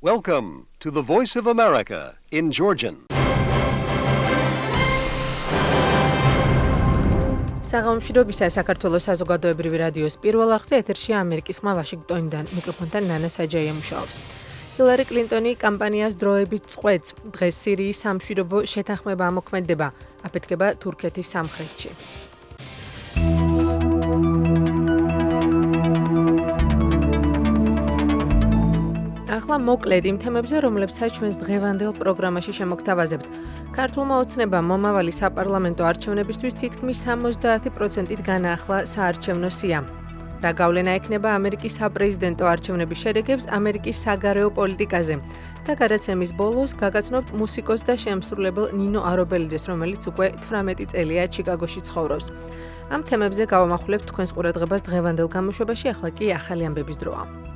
Welcome to the Voice of America in Georgian. საღამომშვიდობისა საქართველოს საზოგადოებრივი რადიოს პირველ არხზე ეთერშია ამერიკის ხმა ვაშინგტონიდან. მიკროფონთან ნანა საჯაია მუშაობს. ჰილარი კლინტონი კამპანიას დროებით წყვეტს. დღეს სირიის სამშვიდობო შეთანხმება ამოქმედება. აფეთქება თურქეთის სამხრეთში. ახლა მოკლედ იმ თემებზე, რომლებსაც ჩვენს დღევანდელ პროგრამაში შემოგთავაზებთ. ქართულმა ოცნებამ მომავალი საპარლამენტო არჩევნებისთვის თითქმის 70%-ით განაახლა საარჩევნო სია. რა გავლენა ექნება ამერიკის საპრეზიდენტო არჩევნების შედეგებს ამერიკის საგარეო პოლიტიკაზე და გადაცემის ბოლოს გაგაცნობთ მუსიკოს და შემსრულებელ ნინო არობელიძეს, რომელიც უკვე 18 წელია ჩიკაგოში ცხოვრობს. ამ თემებზე გავამახვილებთ თქვენს ყურადღებას დღევანდელ გამოშვებაში, ახლა კი ახალი ამბების დროა.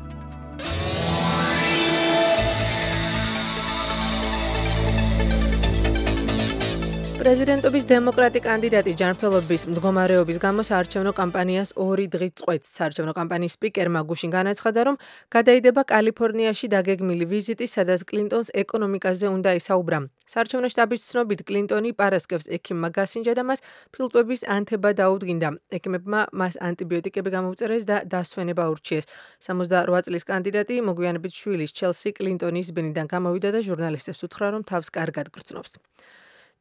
პრეზიდენტობის დემოკრატი კანდიდატი ჯანმრთელობის მდგომარეობის გამო საარჩევნო კამპანიას 2 დღით წყვეტს. საარჩევნო კამპანიის სპიკერმა გუშინ განაცხადა, რომ გადაიდება კალიფორნიაში დაგეგმილი ვიზიტი, სადაც კლინტონს ეკონომიკაზე უნდა ისაუბრა. საარჩევნო შტაბის ცნობით, კლინტონი პარასკევს ექიმმა გასინჯა და მას ფილტვების ანთება დაუდგინდა. ექიმებმა მას ანტიბიოტიკები გამოუწერეს და დასვენება ურჩიეს. 68 წლის კანდიდატი მოგვიანებით შვილის ჩელსი კლინტონის ბინიდან გამოვიდა და ჟურნალისტებს უთხრა, რომ თავს კარგად გრძნობს.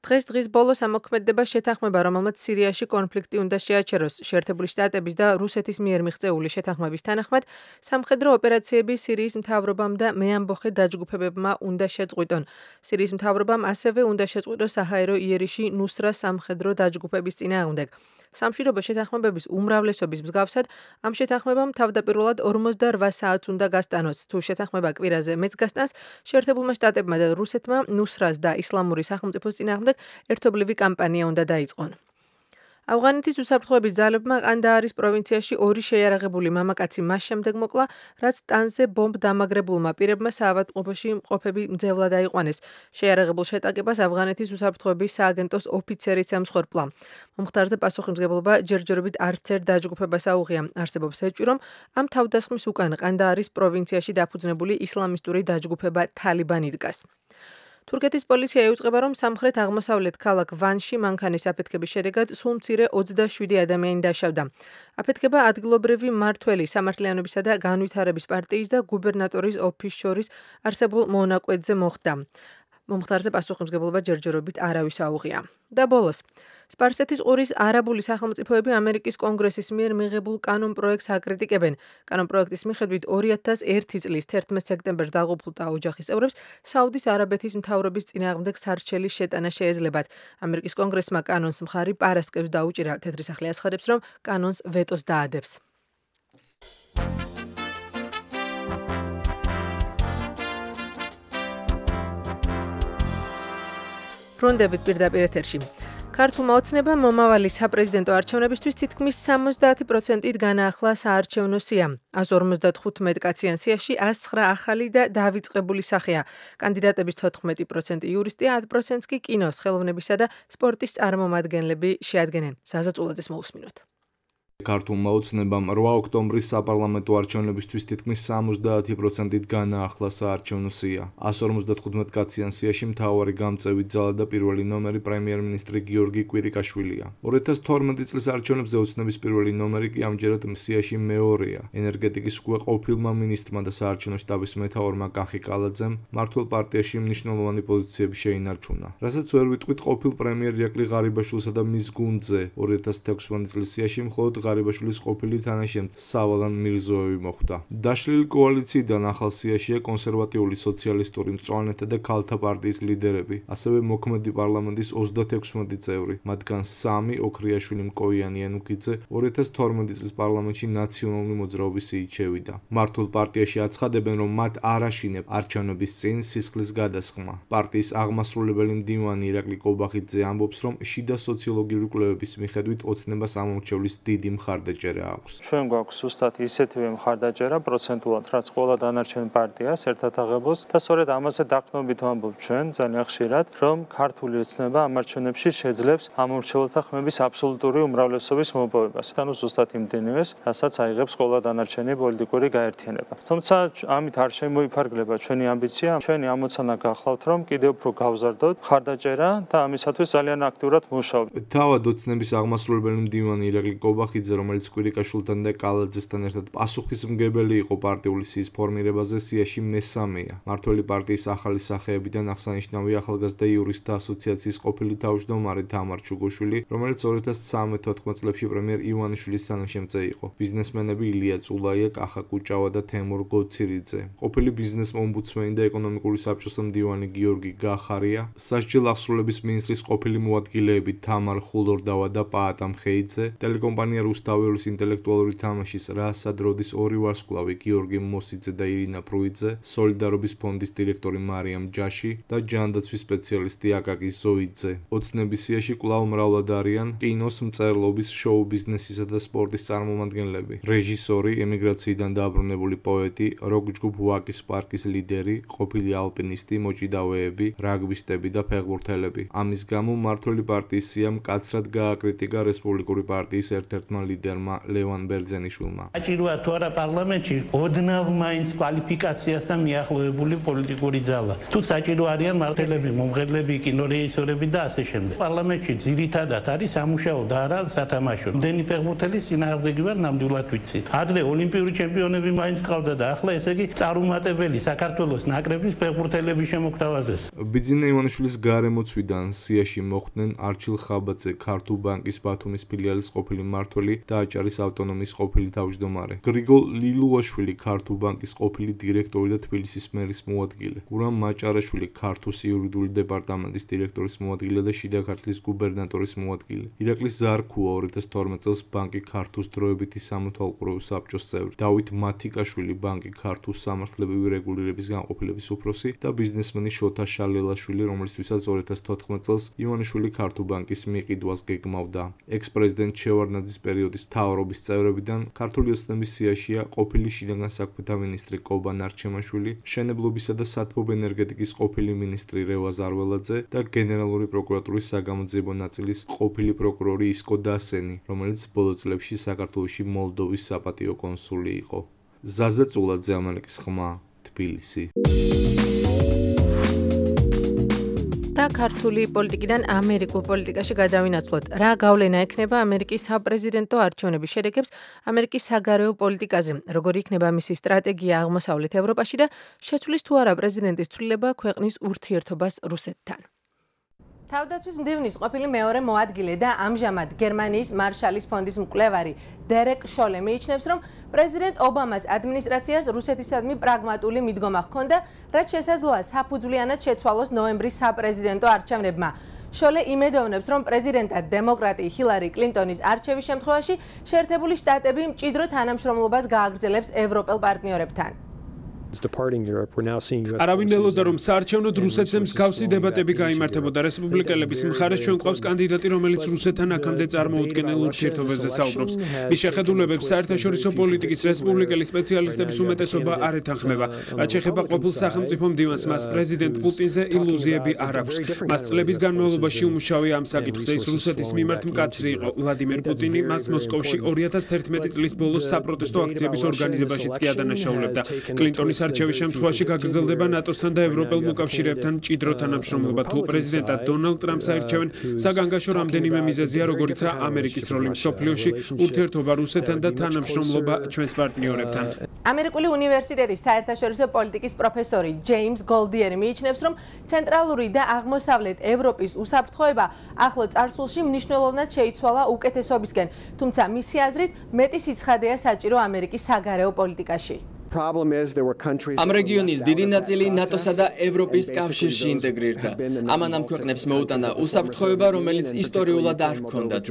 დღის ბოლოს ამოქმედება შეთანხმება, რომელმაც სირიაში კონფლიქტი უნდა შეაჩეროს. შეერთებული შტატების და რუსეთის მიერ მიღწეული შეთანხმების თანახმად, სამხედრო ოპერაციები სირიის მთავრობამ და მეამბოხე დაჯგუფებებმა უნდა შეწყვიტონ. სირიის მთავრობამ ასევე უნდა შეწყვიტოს საჰაერო იერიში ნუსრას სამხედრო დაჯგუფების წინააღმდეგ. სამშვიდობო შეთანხმებების უმრავლესობის მსგავსად, ამ შეთანხმებამ თავდაპირველად 48 საათს უნდა გასტანოს. თუ შეთანხმება კვირაზე მეც გასტანს, შეერთებულმა შტატებმა და რუსეთმა ნუსრას და ისლამური სახელმწიფოს წინააღმდეგ ერთობლივი კამპანია უნდა დაიწყონ. ავღანეთის უსაფრთხოების ძალებმა ყანდაარის პროვინციაში 2 შეიარაღებული მამაკაცი მას შემდეგ მოკლა, რაც ტანკზე ბომბ დამაგრებულმა პირებმა საავადმყოფოში მყოფები მძევლად აიყვანეს. შეიარაღებულ შეტაკებას ავღანეთის უსაფრთხოების სააგენტოს ოფიცერიც ემსხვერპლა. მომხდარზე პასუხისმგებლობა ჯერჯერობით არც ერთ დაჯგუფებას აუღია. არსებობს ეჭვი, რომ ამ თავდასხმის უკან ყანდაარის პროვინციაში დაფუძნებული ისლამისტური დაჯგუფება თალიბანი დგას. თურქეთის პოლიცია იუწყება, რომ სამხრეთ-აღმოსავლეთ ქალაქ ვანში მანქანის აფეთქების შედეგად სულ მცირე 27 ადამიანი დაშავდა. აფეთქება ადგილობრივი მმართველი, სამართლიანობისა და განვითარების პარტიის და გუბერნატორის ოფისის შორის არსებულ მონაკვეთზე მოხდა. მომხდარზე პასუხისმგებლობა ჯერჯერობით არავის აუღია. და ბოლოს, სპარსეთის ყურის არაბული სახელმწიფოები ამერიკის კონგრესის მიერ მიღებულ კანონპროექტს აკრიტიკებენ. კანონპროექტის მიხედვით 2001 წლის 11 სექტემბერს დაღუპულთა ოჯახის წევრებს საუდის არაბეთის მთავრობის წინააღმდეგ სარჩელის შეტანა შეეძლებათ. ამერიკის კონგრესმა კანონს მხარი პარასკევს დაუჭირა. თეთრი სახლი აცხადებს, რომ კანონს ვეტოს დაადებს. ბრუნდებით პირდაპირ ეთერში. ქართულმა ოცნებამ მომავალი საპრეზიდენტო არჩევნებისთვის თითქმის 70%-ით განაახლა საარჩევნო სია. 155 კაციან სიაში 109 ახალი და დავიწყებული სახეა. კანდიდატების 14% იურისტია, 10%-ს კი კინოს, ხელოვნებისა და სპორტის წარმომადგენლები შეადგენენ. საზაწულაძეს მოусმინოთ. ქართულმა ოცნებამ 8 ოქტომბრის საპარლამენტო არჩევნებისთვის თითქმის 70%-ით განაახლა საარჩევნო სია. 155 კაციან სიაში მთავარი გამწევი ძალა და პირველი ნომერი პრემიერ-მინისტრი გიორგი კვირიკაშვილია. 2012 წლის არჩევნებზე ოცნების პირველი ნომერი კი ამჯერად სიაში მეორეა. ენერგეტიკის უკვე ყოფილმა მინისტრმა და საარჩევნო შტაბის მეთაურმა კახი კალაძემ მართლ პარტიაში მნიშვნელოვანი პოზიციები შეინარჩუნა. რასაც ვერ ვიტყვით ყოფილ პრემიერ ირაკლი ღარიბაშვილსა და მის გუნდზე 2016 წლის სიაში მხოლოდ ღარიბაშვილის ყოფილი თანაშემწე სავალან მირზოევი მოხვდა. დაშლილი კოალიციიდან ახალ სიაშია კონსერვატიული სოციალისტური მწვანეთა და ქალთა პარტიის ლიდერები, ასევე მოქმედი პარლამენტის 36 წევრი, მათგან 3 ოქრიაშვილი მკოიანი ენუქიძე 2012 წლის პარლამენტში ნაციონალური მოძრაობის სიით შევიდა. მართლ პარტიაში აცხადებენ, რომ მათ არ აშინებ არჩევნების წინ სისხლის გადასხმა. პარტიის აღმასრულებელი მდივანი ირაკლი კობახიძე ამბობს, რომ შიდა სოციოლოგიური კვლევების მიხედვით ოცნებას ამორჩევლის დიდი მხარდაჭერა აქვს. ჩვენ გვაქვს ზუსტად ისეთივე მხარდაჭერა პროცენტულად, რაც ყველა დანარჩენ პარტიას ერთად აღებულს და სწორედ ამაზე დაყრდნობით ვამბობ ჩვენ ძალიან ხშირად, რომ ქართული ოცნება ამ არჩევნებში შეძლებს ამორჩეულთა ხმების აბსოლუტური უმრავლესობის მოპოვებას. ანუ ზუსტად იმდენივეს, რასაც აიღებს ყველა დანარჩენი პოლიტიკური გაერთიანება. თუმცა ამით არ შემოიფარგლება ჩვენი ამბიცია, ჩვენი ამოცანა გახლავთ, რომ კიდევ უფრო გავზარდოთ მხარდაჭერა და ამისათვის ძალიან აქტიურად მუშაობთ. თავად ოცნების აღმასრულებელი მდივანი ირაკლი კობახიძე, რომელიც კვირიკაშვილთან და კალაძესთან ერთად პასუხისმგებელი იყო პარტიული სიის ფორმირებაზე, სიაში მესამეა. მართველი პარტიის ახალი სახეებიდან აღსანიშნავია ახალგაზრდა იურისტთა ასოციაციის ყოფილი თავმჯდომარე თამარ ჩუგოშვილი, რომელიც 2013-14 წლებში პრემიერ ივანიშვილის თანაშემწე იყო. ბიზნესმენები ილია წულაია, კახა კუჭავა და თემურ გოცირიძე. ყოფილი ბიზნეს ომბუდსმენი და ეკონომიკური საბჭოს მდივანი გიორგი გახარია, სასჯელ აღსრულების მინისტრის ყოფილი მოადგილეები თამარ ხულორდავა და პაატა მხეიძე, ტელეკომპანია რუსთაველის ინტელექტუალური თამაშის რასად როდის ორი ვარსკვლავი გიორგი მოსიძე და ირინა ფრუიძე, სოლიდარობის ფონდის დირექტორი მარიამ ჯაში და ჯანდაცვის სპეციალისტი აკაკი ზოიძე. ოცნების სიაში კვლავ მრავლად არიან კინოს, მწერლობის, შოუ ბიზნესისა და სპორტის წარმომადგენლები, რეჟისორი, ემიგრაციიდან დაბრუნებული პოეტი, როკ-ჯგუფ ვაკის პარკის ლიდერი, ყოფილი ალპინისტი, მოჭიდავეები, რაგბისტები და ფეხბურთელები. ამის გამო მმართველი პარტიის სიამ მკაცრად გააკრიტიკა რესპუბლიკური პარტიის ერთ-ერთმა ლიდერმა ლევან ბერძენიშვილმა. საჭიროა თუ არა პარლამენტში ოდნავ მაინც კვალიფიკაციასთან მიახლოებული პოლიტიკური ძალა. თუ საჭირო არიან მმართველები, მომღერლები, კინორეჟისორები და ასე შემდეგ. პარლამენტში ძირითადად არის სამუშაო და არა სათამაშო. მდენი ფეხბურთელის წინააღმდეგი ვარ, ნამდვილად ვიცი. ადრე ოლიმპიური ჩემპიონები მაინც ყავდა და ახლა ესე იგი წარუმატებელი საქართველოს ნაკრების ფეხბურთელების შემოგთავაზეს. ბიძინა ივანიშვილის გარემოცვიდან სიაში მოხვდნენ არჩილ ხაბაძე, ქართულ ბანკის ბათუმის ფილიალის ყოფილი მმართველი და აჭარის ავტონომიის ყოფილი თავმჯდომარე, გრიგოლ ლილუაშვილი, ქართულ ბანკის ყოფილი დირექტორი და თბილისის მერის მოადგილე, გურამ მაჭარაშვილი, ქართუს იურიდიული დეპარტამენტის დირექტორის მოადგილე და შიდა ქართლის გუბერნატორის მოადგილე, ირაკლის ზარქუა 2012 წელს ბანკი ქართუს დროებითი სამართალყურეო საბჭოს წევრი, დავით მათიკაშვილი, ბანკი ქართუს სამართლებრივი რეგულირების განყოფილების უფროსი და ბიზნესმენი შოთა შალელაშვილი, რომლისთვისაც 2014 წელს ივანიშვილი ქართულ ბანკის მიყიდვას გეგმავდა. ექს-პრეზიდენტ შევარდნაძის პერიოდის მთავრობის წევრებიდან ქართული ოცნების სიაშია ყოფილი შინაგან საქმეთა მინისტრი კობა ნარჩემაშვილი, მშენებლობისა და სათბობ ენერგეტიკის ყოფილი მინისტრი რევაზ არველაძე და გენერალური პროკურატურის საგამოძიებო ნაწილის ყოფილი პროკურორი ისკო დასენი, რომელიც ბოლო წლებში საქართველოში მოლდოვის საპატიო კონსული იყო. ზაზა წულაძე, ამალიკის ხმა, თბილისი. და ქართული პოლიტიკიდან ამერიკულ პოლიტიკაში გადავინაცვლოთ. რა გავლენა ექნება ამერიკის საპრეზიდენტო არჩევნების შედეგებს ამერიკის საგარეო პოლიტიკაზე? როგორი იქნება მისი სტრატეგია აღმოსავლეთ ევროპაში და შეცვლის თუ არა პრეზიდენტის ცვლილება ქვეყნის ურთიერთობას რუსეთთან? თავდაცვის მდივნის ყოფილი მეორე მოადგილე და ამჟამად გერმანიის მარშალის ფონდის მკვლევარი დერეკ შოლე მიიჩნევს, რომ პრეზიდენტ ობამას ადმინისტრაციას რუსეთისადმი პრაგმატული მიდგომა ჰქონდა, რაც შესაძლოა საფუძვლიანად შეცვალოს ნოემბრის საპრეზიდენტო არჩევნებმა. შოლე იმედოვნებს, რომ პრეზიდენტად დემოკრატი ჰილარი კლინტონის არჩევის შემთხვევაში შეერთებული შტატები მჭიდრო თანამშრომლობას გააგრძელებს ევროპელ პარტნიორებთან. არავინ ელოდა, რომ საარჩევნოდ რუსეთზე მსგავსი დებატები გაიმართებოდა. რესპუბლიკელების მხარეს ჩვენ გვყავს კანდიდატი, რომელიც რუსეთთან აქამდე წარმოუდგენელ ურთიერთობებზე საუბრობს. მის შეხედულებებს საერთაშორისო პოლიტიკის რესპუბლიკელი სპეციალისტების უმეტესობა არ ეთანხმება. რაც შეეხება ყოფილ სახელმწიფო მდივანს, მას პრეზიდენტ პუტინზე ილუზიები არ აქვს. მას წლების განმავლობაში უმუშავია ამ საკითხზე. ის რუსეთის მიმართ მკაცრი იყო. ვლადიმერ პუტინი მას მოსკოვში 2011 წლის ბოლოს საპროტესტო აქციების ორგანიზებაშიც კი ადანაშაულებდა. კლინტონის არჩევის შემთხვევაში გაგრძელდება ნატოსთან და ევროპელ მოკავშირეებთან მჭიდრო თანამშრომლობა. თუ პრეზიდენტად დონალდ ტრამპს აირჩევენ, საგანგაშო რამდენიმე მიზეზია, როგორიცაა ამერიკის როლი მსოფლიოში, ურთიერთობა რუსეთთან და თანამშრომლობა ჩვენს პარტნიორებთან. ამერიკული უნივერსიტეტის საერთაშორისო პოლიტიკის პროფესორი ჯეიმს გოლდიერი მიიჩნევს, რომ ცენტრალური და აღმოსავლეთ ევროპის უსაფრთხოება ახლო წარსულში მნიშვნელოვნად შეიცვალა უკეთესობისკენ, თუმცა მისი აზრით მეტი სიცხადეა საჭირო ამერიკის საგარეო პოლიტიკაში. ამ რეგიონის დიდი ნაწილი ნატოსა და ევროპის კავშირში ინტეგრირდა. ამან ამ ქვეყნებს მოუტანა უსაფრთხოება, რომელიც ისტორიულად არ ჰქონდათ.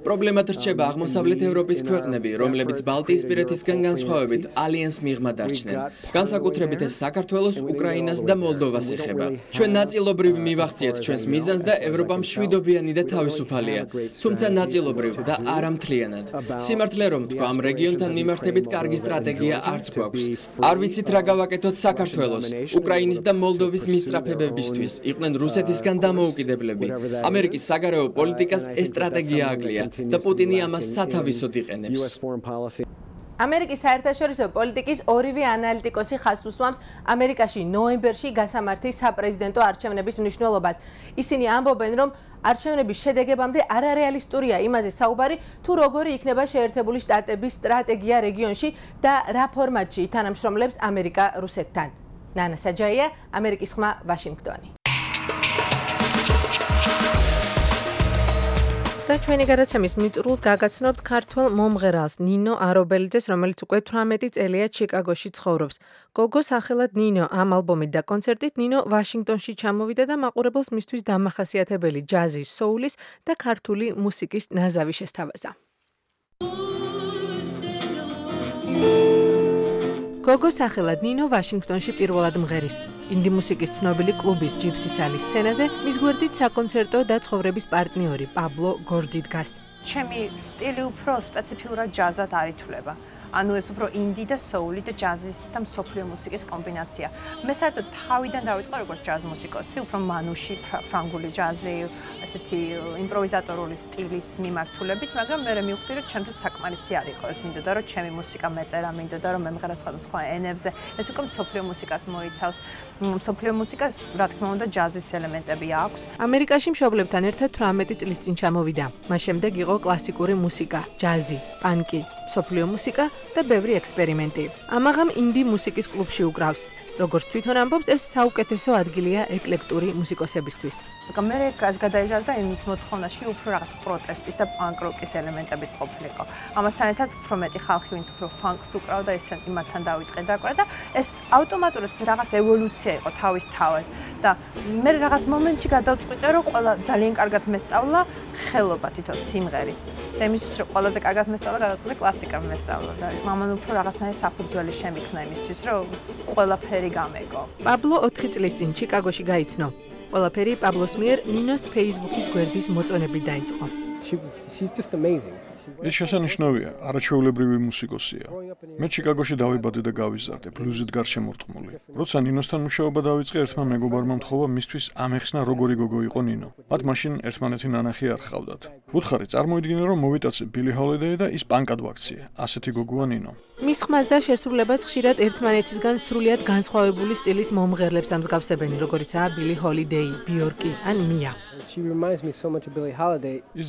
პრობლემად რჩება აღმოსავლეთ ევროპის ქვეყნები, რომლებიც ბალტიისპირეთისგან განსხვავებით ალიანს მიღმა დარჩნენ. განსაკუთრებით ეს საქართველოს, უკრაინას და მოლდოვას ეხება. ჩვენ ნაწილობრივ მივახციეთ ჩვენს მიზანს და ევროპა მშვიდობიანი და თავისუფალია, თუმცა ნაწილობრივ და არა მთლიანად. სიმართლე რომ თქვა, ამ რეგიონთან მიმართებით კარგი სტრატეგია არც გვაქვს. არ ვიცით რა გავაკეთოთ საქართველოს, უკრაინის და მოლდოვის მისწრაფებებისთვის, იყვნენ რუსეთისგან დამოუკიდებლები. ამერიკის საგარეო პოლიტიკას ეს სტრატეგია აკლია და პუტინი ამას სათავისოდ იყენებს. ამერიკის საერთაშორისო პოლიტიკის ორივე ანალიტიკოსი ხაზს უსვამს ამერიკაში ნოემბერში გასამართი საპრეზიდენტო არჩევნების მნიშვნელობას. ისინი ამბობენ, რომ არჩევნების შედეგებამდე არარეალისტურია იმაზე საუბარი, თუ როგორი იქნება შეერთებული შტატების სტრატეგია რეგიონში და რა ფორმატში თანამშრომლებს ამერიკა რუსეთთან. ნანა საჯაია, ამერიკის ხმა, ვაშინგტონი. და ჩვენი გადაცემის მიწურულს გაგაცნობთ ქართველ მომღერალს ნინო არობელიძეს, რომელიც უკვე 18 წელია ჩიკაგოში ცხოვრობს. გოგო სახელად ნინო ამ ალბომით და კონცერტით ნინო ვაშინგტონში ჩამოვიდა და მაყურებელს მისთვის დამახასიათებელი ჯაზის, соуლის და ქართული მუსიკის ნაზავი შესთავაზა. გოგო სახელად ნინო ვაშინგტონში პირველად მღერის. ინდი მუსიკის ცნობილი კლუბის ჯიპსის ალის სცენაზე მის გვერდით საკონცერტო და ცხოვრების პარტნიორი პაბლო გორდი დგას. ჩემი სტილი უფრო სპეციფიურად ჯაზად არ ითვლება. ანუ ეს უფრო ინდი და соули და ჯაზის და მსოფლიო მუსიკის კომბინაცია. მე საერთოდ თავიდან დავიწყე როგორც ჯაზ მუსიკოსი, უფრო მანუში, ფრანგული ჯაზი, ესეთი იმპროვიზატორული სტილის მიმართულებით, მაგრამ მე მივხვდი, რომ ჩემთვის საკმარისი არ იყო ეს, მინდოდა რომ ჩემი მუსიკა მეწერა, მინდოდა რომ მემღერა სხვადასხვა ენებზე. ეს უკვე მსოფლიო მუსიკას მოიცავს. მსოფლიო მუსიკას, რა თქმა უნდა, ჯაზის ელემენტები აქვს. ამერიკაში მშობლებთან ერთად 18 წლის წინ ჩამოვიდა. მას შემდეგ იყო კლასიკური მუსიკა, ჯაზი, პანკი, მსოფლიო მუსიკა და ბევრი ექსპერიმენტი. ამაღამ ინდი მუსიკის კლუბში უკრავს. როგორც თვითონ ამბობს, ეს საუკეთესო ადგილია ეკლექტური მუსიკოსებისთვის. მე გადაიზარდა იმის მოთხოვნაში უფრო რაღაც პროტესტის და პანკ-როკის ელემენტებიც ყოფილიყო. ამასთან ერთად უფრო მეტი ხალხი, ვინც უფრო ფანკს უკრავდა, ეს იმათთან დავიწყე დაკვრა და ეს ავტომატურად რაღაც ევოლუცია იყო თავისთავად. და მე რაღაც მომენტში გადავწყვიტე, რომ ყველა ძალიან კარგად მესწავლა ხელობა თითო სიმღერის. და იმისთვის, რომ ყველაზე კარგად მესწავლა, გადავწყვიტე კლასიკა მესწავლა და მამან უფრო რაღაცნაირი საფუძველი შემიქნა იმისთვის, რომ ყველაფერი გამეგო. პაბლო 4 წლის წინ ჩიკაგოში გაიცნო. ყველაფერი პაბლოს მიერ ნინოს Facebook-ის გვერდის მოწონებით დაიწყო. ეს შესანიშნავია, არაჩვეულებრივი მუსიკოსია. მე ჩიკაგოში დავიბადე და გავიზარდე, ბლუზით გარშემორტყმული. როცა ნინოსთან მუშაობა დავიწყე, ერთმა მეგობარმა მთხოვა მისთვის ამეხსნა როგორი გოგო იყო ნინო. მათ მაშინ ერთმანეთი ნანახი არ ჰყავდათ. ვუთხარი, წარმოიდგინე, რომ მოვიტაცე ბილი ჰოლიდეი და ის პანკად ვაქციე. ასეთი გოგოა ნინო. მის ხმას და შესრულებას ხშირად ერთმანეთისგან სრულიად განსხვავებული სტილის მომღერლებს ამსგავსებენ, როგორიცაა ბილი ჰოლიდეი, ბიორკი ან მია. ის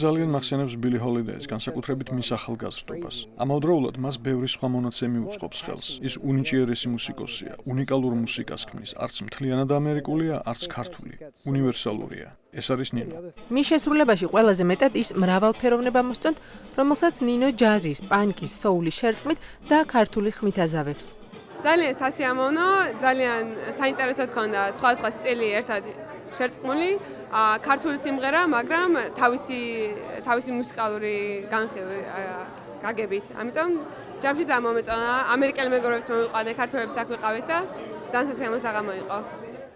ძალიან მახსენებს ბილი ჰოლიდეის, განსაკუთრებით მის ახალგაზრდობას. ამავდროულად მას ბევრი სხვა მონაცემი უწყობს ხელს. ის უნიჭიერესი მუსიკოსია, უნიკალურ მუსიკას ქმნის, არც მთლიანად ამერიკულია, არც ქართული. უნივერსალურია. ეს არის ნინო. მის შესრულებაში ყველაზე მეტად ის მრავალფეროვნება მოსწონთ, რომელსაც ნინო ჯაზის, პანკის, соуლის შერწყმით და ქართული ხმით აზავებს. ძალიან სასიამოვნო, ძალიან საინტერესო თქონდა სხვა სტილი ერთად შერწყმული, ქართული სიმღერა, მაგრამ თავისი მუსიკალური განხილვი გაგებით. ამიტომ ჯამში დამომეწონა, ამერიკელი მეგობრებიც მოვიყვანე, ქართველებიც აქ ვიყავით და ძალიან სასიამოვნო საღამო იყო.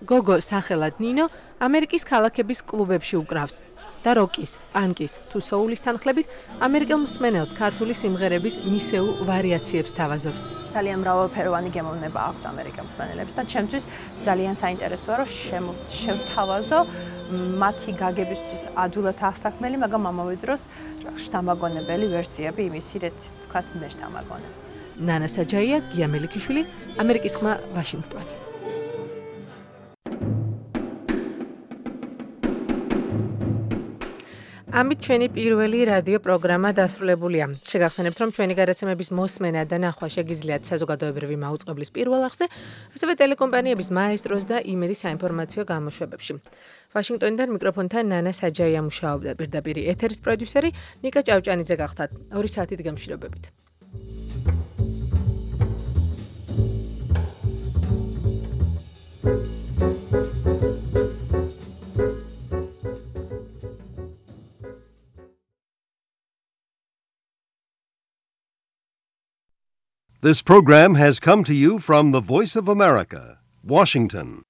გოგო სახელად ნინო ამერიკის ქალაქების კლუბებში უკრავს და როკის, პანკის თუ соуლის თანხლებით ამერიკელ მსმენელს ქართული სიმღერების მისეულ ვარიაციებს თავაზობს. ძალიან მრავალფეროვანი გემოვნება აქვს ამერიკელ მსმენელებს და ჩემთვის ძალიან საინტერესოა, რომ შევთავაზო მათი გაგებისთვის ადვილად აღსაქმელი, მაგრამ ამავე დროს შთამაგონებელი ვერსიები იმისი, რაც თქვა მე შთამაგონებ. ნანა საჯაია, გია მელიქიშვილი, ამერიკის ხმა, ვაშინგტონი. ამით ჩვენი პირველი რადიო პროგრამა დასრულებულია. შეგახსენებთ, რომ ჩვენი გადაცემების მოსმენა და ნახვა შეგიძლიათ საზოგადოებრივი მაუწყებლის პირველ არხზე, ასევე ტელეკომპანიების მაესტროს და იმედის საინფორმაციო გამოშვებებში. ვაშინგტონიდან მიკროფონთან ნანა საჯაია მუშაობდა, პირდაპირ ეთერის პროდიუსერი ნიკა ჭავჭანიძე გახდათ. 2 საათით გემშვიდობებით. This program has come to you from the Voice of America, Washington.